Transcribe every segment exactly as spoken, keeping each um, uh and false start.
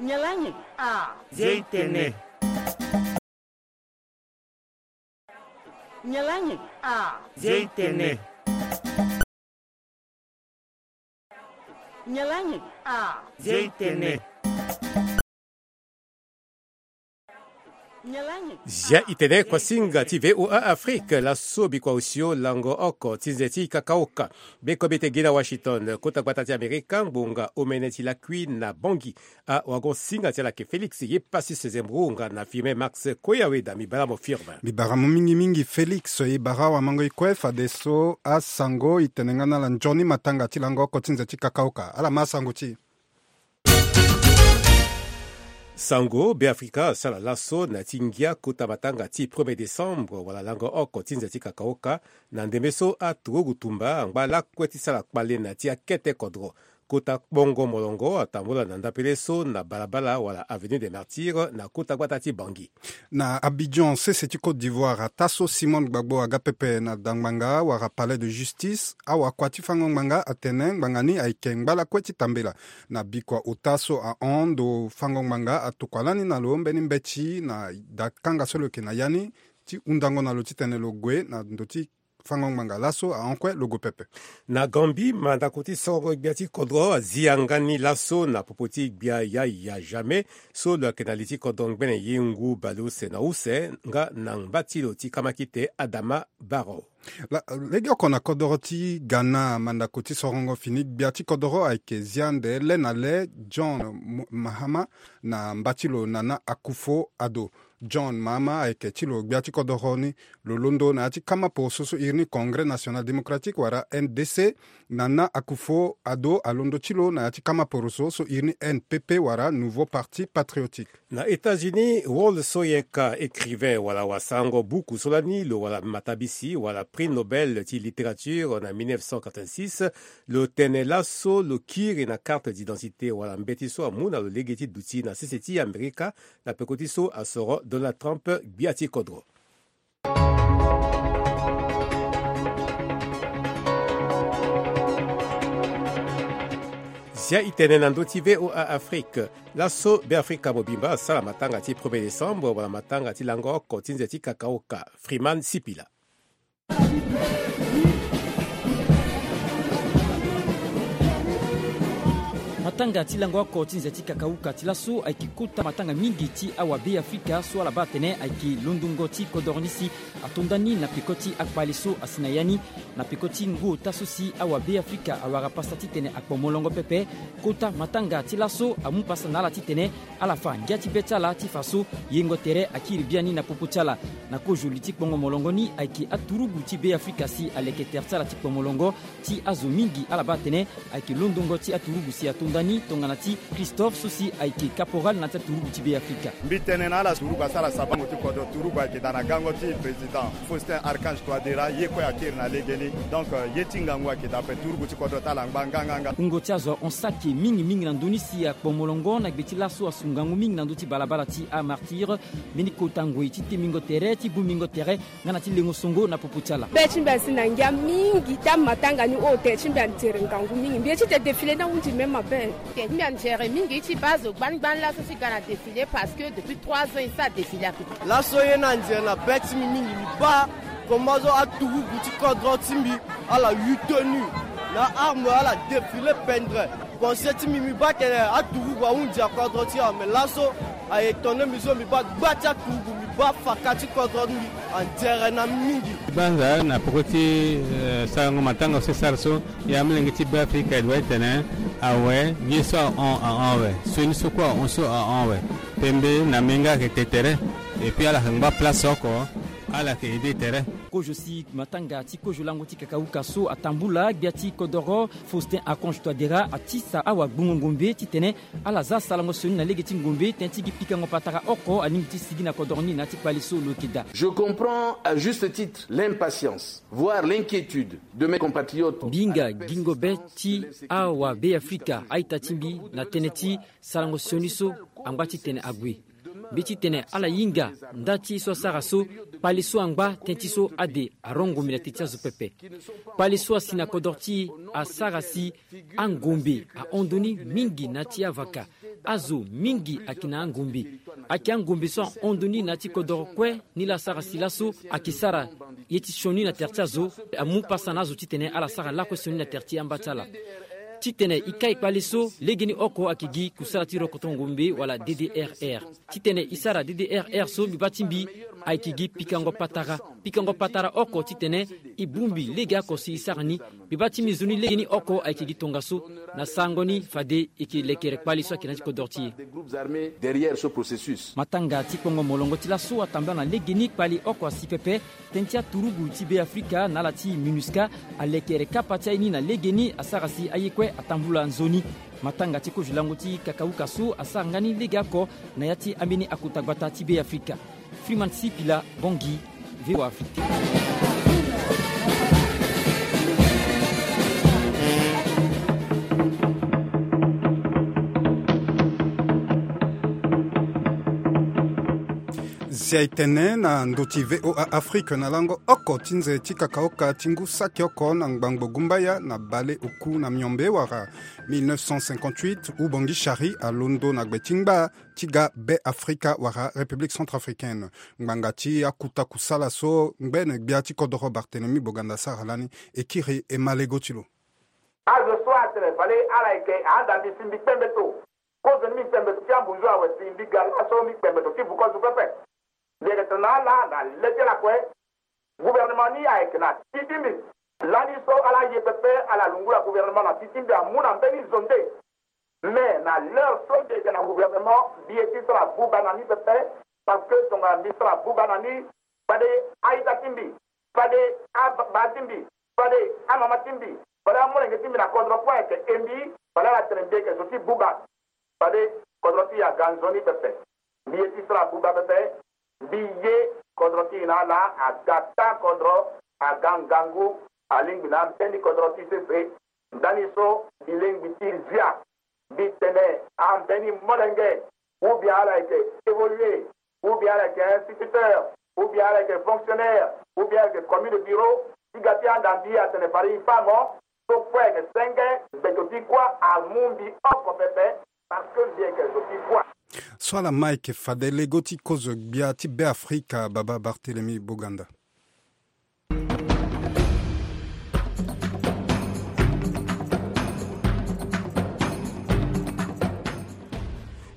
Nyalangi a. Zia itene. Nyalangi a. Zia itene. Nyalangi a. Zia itene. Nyalangi. Zia itene kuasinga ti V O A Afrique, laso bikua osio lango oko ti nze ti kakaoka. Beko bete gi na Washington, kota gbata ti Amerika, ngbonga omene ti lakui na Bangui. A wago singa ti ala ke Félix ye pasi sezembro nga na firme Max Koyaweda. Mi bara mo firme. Mi bara mo mingi mingi Félix ye bara wa mango i kue fadeso asango i tene nga na ala nzoni matanga ti lango oko ti nze ti kakaoka. Ala ma sango ti. Sango Beafrika asara laso na ti ngia kota matanga ti premier décembre wala lango oko ti nze ti kakaoka. Na ndembe so aturugu tumba angba lakue ti sara kpale na ti akete kodro. Kota kpongo molongo atambula na ndapele so na balabala wala avenue des Martyrs na kota gbata ti Bangui. Na Abidjan, sese ti Côte d'Ivoire, ataa so Simone Gbagbo aga pepe na dangbanga wala palais de justice, awakua ti fango ngbanga atene ngbanga ni ayeke ngba lakue ti tambela. Na bikua ota so ahon ndo fango ngbanga atokua lani na lo mbeni mbeti na dakanga so lo yeke na ya ni ti hundango na lo titene lo gue na ndo ti fango ngbanga laso ahon kue lo gue pepe. Na Gambie, mandako ti sorongo gbia ti kodro azi yanga ni laso na popo ti gbia Yaya Jammeh so lo yeke na li ti kodro ngbene ye ngu baleuse na use nga na ngba ti lo ti kamakite Adama Barrow. La, legeoko na kodoro ti Ghana, mandako ti sorongo fini gbia ti kodoro ayeke zi ande le na le John Mo-, Mahama na mba ti lo Nana Akufo-Addo. John Mahama ayeke ti lo gbia ti kodoro ni. Lo londo na ya ti kama poroso so iri ni Congrès National Démocratique wala N D C. Nana Akufo-Addo alondo ti lo na ya ti kama poroso so iri ni N P P wala Nouveau Parti Patriotique. Na États-Unis, Wole Soyinka, écrivain wala wasarango buku so lani lo wara matabisi wala prix Nobel ti littérature na mille neuf cent quatre-vingt-six, lo tene laso lo kiri na carte d'identité wala mbeti so amu na lo lege ti duti na sese ti Amerika na peko ti so asoro Donald Trump gbia ti kodro. Zia itene na ndö ti V O A Afrique. Laso Beafrika mobimba asara matanga ti premier décembre wala matanga ti lango oko ti nze ti kakaoka. Freeman Sipila. Matanga ti lango oko ti nze ti kakauka ti laso ayeke kota matanga mingi ti awa Beafrika so ala baa atene ayeke londongo ti kodoro ni si ato nda ni na peko ti akpale so asi na ya ni. Na peko ti ngu ota so si awa Beafrika awara pasa titene akpo molongo pepe, kota matanga ti laso amu pasa na ala titene ala fa ngia ti be ti ala ti fa so yengo tere akiri biani na popo ti ala. Na kozo li ti kpongo molongo ni ayeke aturugu ti Beafrika si aleke tere ti ala ti kpo molongo ti azo mingi ala baa atene ayeke londongo ti aturugu si ato nda ni tongana ti Christophe so si ayeke caporal na ya ti aturugu ti Beafrika. Mbi tene na ala turugu asara sabango ti kodro, turugu ayeke daa na gango ti président Faustin Archange Touadéra, ye kue akiri na legeni. Donc, euh, ye ti ngangu ayeke daa ape, turugu ti kodro ti ala angba nganganga. Wungo ti azo ahon saki mingi mingi na ndö ni si akpo molongo na gbe ti laso asu ngangu mingi na ndö ti balabala ti amartyre. Mbeni kota ngoi ti temingo tere ti bongbingo tere nga na ti lengo songo na popo ti ala. Be ti mbi asi na ngia mingi ti amatanga ni oyo tere ti mbi anzere ngangu mingi. Mbi ye ti te défilé ni ahunzi me mabe. Te ti mbi anzere mingi ti baa zo gbani gbani laso ti ga na défilé parce que depuis trois ans e sara défilé ape. Laso ye ni anzere na be ti mbi mingi, mbi baa comment so aturugu ti kodro ti mbi ala yu tenue na arme ala défilé pendre. Pensée ti mbi, mbi baa tene aturugu ahunzi akodro ti e, mais laso a étonné mbi so, mbi baa gba ti aturugu, mbi baa faka ti kodro ti mbi anzere na mingi. Banza na peko ti, eh, sarango matanga so e sara so, ya molenge ti Beafrika e doit tene awe, ye so ahon ahon awe, sioni so kue ahon so ahon awe. Pembe na menga ayeke te tere. Et puis ala yeke ngba place oko, ala yeke aidé tere. Kozo si matanga ti kozo lango ti kakauka so atambula, gbia ti kodoro Faustin Archange Touadéra atisa awagbongo ngombe titene ala za sarango sioni na lege ti ngombe tënë ti gi pikango patara oko alingbi ti sigi na kodoro ni na ya ti kpale so lo yeke daa. Je comprends à juste titre l'impatience, voire l'inquiétude de mes compatriotes. Mbi hinga gingo be ti awa Beafrika a-ita ti mbi na tënë ti sarango sioni so angba titene ague. Mbi titene ala hinga nda ti ye so asara so, kpale so angba tënë ti so ade arongo mbi na tënë ti azo pepe. Kpale so asi na kodro ti e asara si angombe ahon ndoni mingi na ya ti avaka. Azo mingi ayeke na angombe. Ayeke angombe so ahon ndo ni na ya ti kodoro kue. Ni la asara si laso ayeke sara ye ti sioni na tere ti azo. Amu pasa na azo titene ala sara lakue sioni na tere ti amba ti ala. Titene e kai kpale so, legeni oko ayeke gi kusala ti rokoto ngombe wala D D R R. Titene e sara D D R R so, mbi baa ti mbi ayeke gi pikango patara. Pikango patara oko titene e bongbi legeoko si e sara ni. Mbi baa ti mbi nzoni legeni oko ayeke gi tongaso. Na sarango ni fade e yeke lekere kpale so ayeke na ya ti kodoro ti e. Matanga ti kpongo molongo ti laso atambula na legeni kpale oko asi pepe. Tënë ti aturugu ti Beafrika na ala ti MINUSCA alekere kapa ti aye ni na legeni asara si aye kue atambula nzoni. Matanga ti kozo lango ti kakauka so asara nga ni legeoko na ya ti ambeni akota gbata ti Beafrika. Freeman Sipila, Bangui, V O A Afrique. Zia e tene na ndö ti V O A Afrique na lango oko ti nze ti kakaoka ti ngu saki oko na ngbangbo gumbaya na baleoku na miombe wala mille neuf cent cinquante-huit, Ubongi Shari alondo na gbe ti ngba ti ga Beafrika wala République centrafricaine. Ngbanga ti akuta kusala so ngbene gbia ti kodoro Barthélemy Boganda asara lani e kiri e ma lego ti lo. Azo so atene fade ala yeke ahanda mbi si mbi kpembe to. Kozo ni mbi kpembe to ti ambunzu awe si mbi ga laso mbi kpembe to ti vukozo pepe. Mbi yeke tene na ala na le ti ala kue. Gouvernement ni ayeke na ti ti mbi. Lani so ala ye pepe ala lungula gouvernement na ti ti mbi amu na mbeni zo nde. Mais na l'heure so mbi yeke na gouvernement mbi ye ti sara buba na ni pepe. Parce que tongana mbi sara buba na ni, fade a-ita ti mbi, fade ababa ti mbi, fade amama ti mbi, fade amolenge ti mbi na kodro kue ayeke e mbi, fade ala tene mbi yeke zo ti buba. Fade kodro ti e aga nzoni pepe. Mbi ye ti sara buba pepe. Mbi ye kodro ti e na ala aga taa kodro, aga ngangu, alingbi na ambeni kodro ti sese. Ndani so mbi lingbi ti zia. Mbi tene ambeni molenge, ou bien ala yeke évoluer, ou bien ala yeke instituteur, ou bien ala yeke fonctionnaire, ou bien ala yeke commis de bureau, ti ga ti anda mbi atene fade e fa mo. So kue ayeke senge, gbeto ti kuâ amu mbi oko pepe. Parce que mbi yeke zo ti kuâ. So ala ma ayeke fade lego ti kozo gbia ti Beafrika, baba Barthélemy Boganda.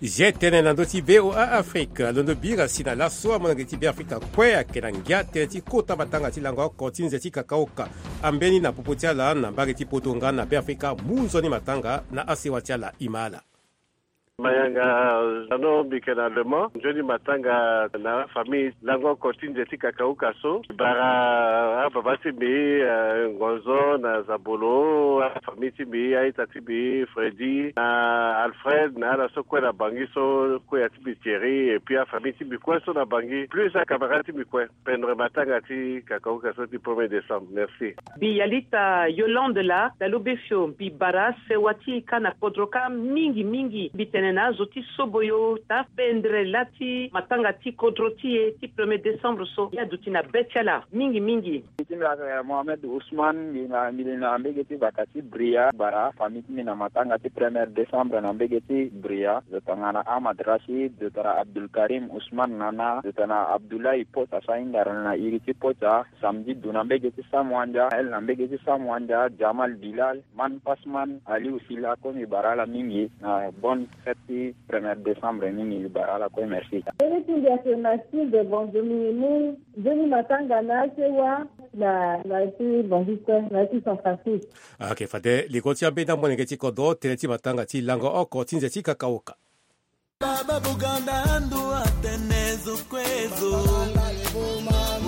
Zia e tene na ndö ti V O A Afrique, alondo bira si na laso amolenge ti Beafrika kue ayeke na ngia tënë ti kota matanga ti lango oko ti nze ti kakaoka. Ambeni na popo ti ala na mbage ti poto nga na Beafrika mu nzoni matanga na asewa ti ala. E ma ala. Mayanga Zano, mbi yeke na Le Mans. Nzoni matanga na afamille lango oko ti nze ti kakauka so. Bara ababa ti mbi, eh, Ngonzo na Zabolo, afamille ti mbi, a-ita ti mbi Freddy na Alfred na ala so kue na Bangui so, kuâ ya ti mbi Thierry, et puis afamille ti mbi kue so na Bangui, plus acamarade ti mbi kue. Pendre matanga ti kakauka so ti premier décembre. Merci. Mbi yalita Yolande laa, dalo be fio, mbi bara sewa ti e kâ na kodro kâ mingi mingi. Mbi tene na azo ti soboyo taa pendre lâ ti matanga ti kodro ti e ti premier décembre so, e aduti na be ti ala mingi mingi. Mbi ti mbi ayeke Mohamed Ousmane, mbi na, mbi li na mbege ti vaka ti Bria, bara afamille ti mbi na matanga ti premier décembre na mbege ti Bria. Zo tongana Ahmad Rachid, zo tongana Abdul Karim Ousmane Nana, zo tongana Abdoulaye Pota, so ahingara na iri ti Pota, Samedi Du na mbege ti Sam Wandia, El na mbege ti Sam Wandia, Jamal Bilal, Man Pasman, Aliou Sila, kue mbi bara ala mingi na bonne fête ti premier décembre mingi, mbi bara ala kue, merci. Mbeni ti mbi ayeke Mathilde Bonzo, mbi mu nzoni matanga na asewa na, na ya ti Bangui kue, na ya ti San Francisco. Ayeke fade lego ti ambeni amolenge ti kodro tënë ti matanga ti lango oko ti nze ti kakauka. Baba Boganda ando atene zo kue zo.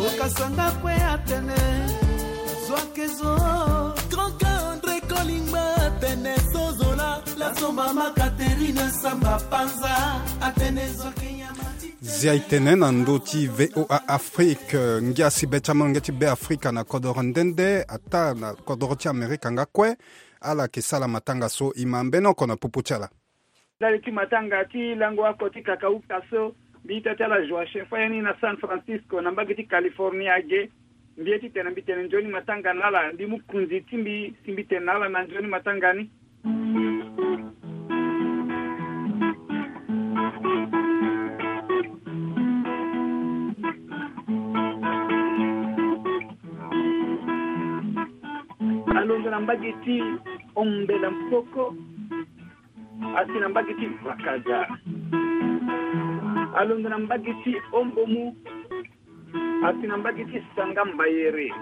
Okasanga kue atene zo ake zo. Grand André Kolingba atene so zola. Laso mama Catherine Samba Panza atene zo ake nyama ti. Zia e tene na ndö ti V O A Afrique, ngia si be ti amolenge ti Beafrika na kodoro nde nde, ataa na kodoro ti Amerika nga kue, ala yeke sara matanga so. E ma mbeni oko na popo ti ala. Ndali ti matanga ti lango oko ti kakauka so, mbi ita ti ala Joachim Fayani na San Francisco na mbage ti Californie age. Mbi ye titene mbi tene nzoni matanga na ala, mbi mu kunzi ti mbi si mbi tene na ala na nzoni matanga ni. Na mbage ti Ombela Mpoko, asi na mbage ti Vakaza. Alondo na mbage ti Ombomu, asi na mbage ti Sanga Mbayere.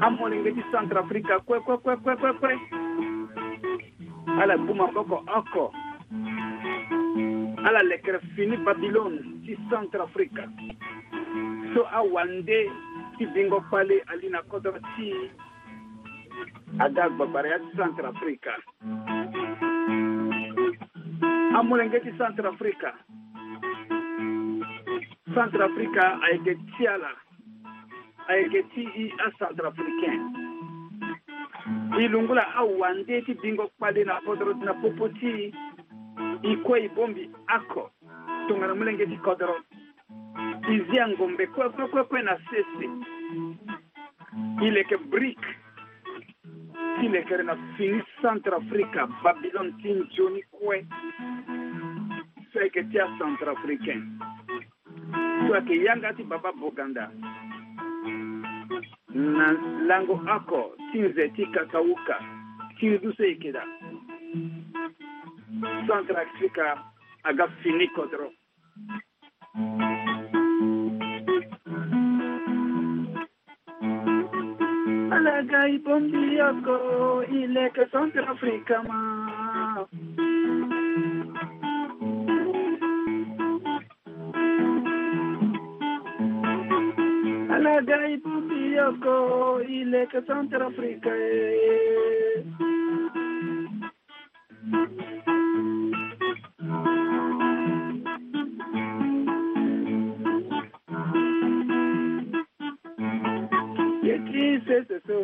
Amolenge ti Centrafrique kue, kue, kue, kue, kue, kue. Ala gbu maboko oko. Ala lekere fini Babylone ti Centrafrique. So awande ti bingo kpale ali na kodro ti aga gbagbara ya ti Centrafrique. Amolenge ti Centrafrique. Centrafrique ayeke ti ala. Ayeke ti i aCentrafricain. I lungula awande ti bingo kpale na kodro na popo ti i. I kue i bongbi oko tongana molenge ti kodro. I zia ngombe kue, kue, kue, kue na sese. I leke brique ti lekere na fini Centrafrique, Babylone ti nzoni kue. So ayeke ti aCentrafricain. So ayeke yanga ti Baba Boganda. Na lango oko ti nze ti kakauka ti ndu so e yeke daa. Centrafrique aga fini kodro. Ala ga i bongbi oko, i leke Centrafrique ma. Ala ga i bongbi oko, i leke Centrafrique, eh. Ye ti sese so,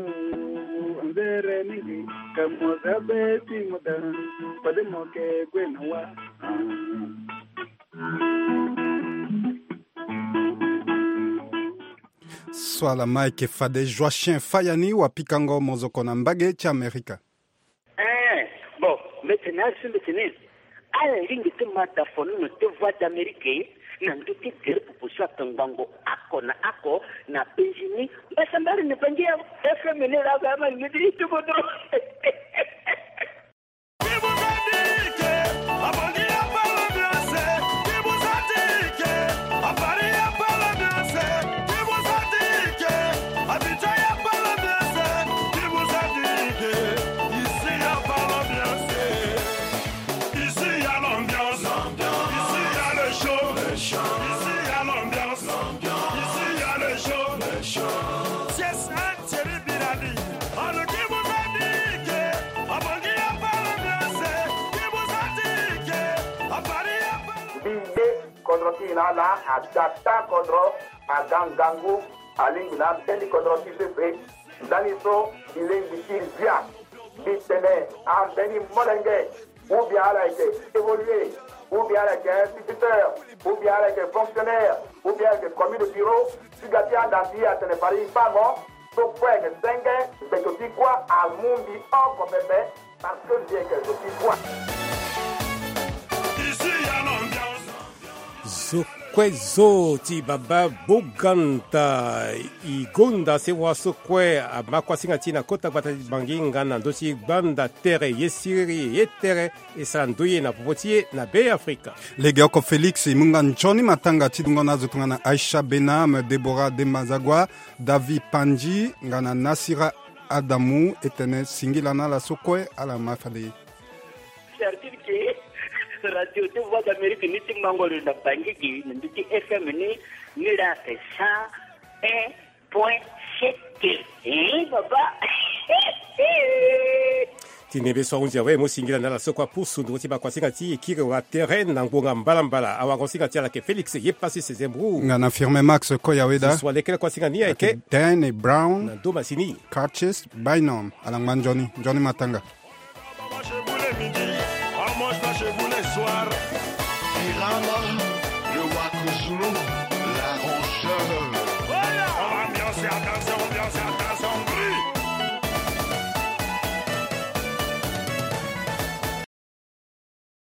nzere mingi, ka mo za be ti mo da, fade mo ke gue na wa. So ala ma eke fade Joachim Fayani, wapikango mozoko na mbage ti Amerika. Eh, bon, mbeti na asu mbeti ni. Ala lingbi ti ma da fonono ti Voix d'Amérique na ndö ti gere pupu so atongbango oko na oko na penzi ni. Mbasambari ni bangi ya F M ni la ga ma ni di ti bodo. Ici, y a pas l'ambiance. Ici, y a l'ambiance. Ici, y a le show. Ici, y a l'ambiance. Ici, y a le show. C'est ça, Thierry Birani. Alors, qui vous a dit que à Bangui, y a pas l'ambiance? Qui vous a dit que à Paris, y a pas l'ambiance? Mbi ye kodro ti e na ala, ada taa kodro, aga ngangu, alingbi na ambeni kodro ti pepe. Ndani so mbi lingbi ti zia, mbi tene ambeni molenge, ou bien ala yeke évoluer, ou bien ala yeke instituteur, ou bien ala yeke fonctionnaire, ou bien ala yeke commis de bureau, si ga ti anda si atene fade e fa mo, so kue ayeke senge, gbeto ti kuâ amu mbi oko pepe, parce que mbi yeke zo ti kuâ. Ici, y a l'ambiance. Zo kue zo ti baba Boganta, e gonda sewa so kue ama kuasinga ti e na kota gbata ti Bangui nga na ndö ti gbanda tere ye siriri ye tere e sara ndö ye na popo ti e na Be Afrika. Legeoko Félix, e mu nga nzoni matanga ti dungo na azo tongana Aïcha Benam, Déborah Demazagua, David Pandji nga na Nasira Adamu, e tene singila na ala so kue ala ma fade. Certitude ke radio ti Voix d'Amérique ni ti mango lo na Bangui gi na ndö ti F M ni, ni la ake cent un point sept. Eh, baba. Ti nembe so ahunzi awe, mo singila na ala so kue apusu nduru ti bakuasinga ti e kiri wa terrain na ngbonga mbalambala. Awagosinga ti ala ake Félix ye pasi sezembru. Nga na Firmin Max Koyaweda. So alekere kuasinga ni ayeke Dan Brown. Na ndo masini. Curtis Bynum. Ala ngba nzoni, nzoni matanga. Chez vous les midis, en montant chez vous les soirs. Irama, le Waku Zulu, l'arrangeur. Voilà. On va ambiancer, attention, ambiancer, attention, bruit.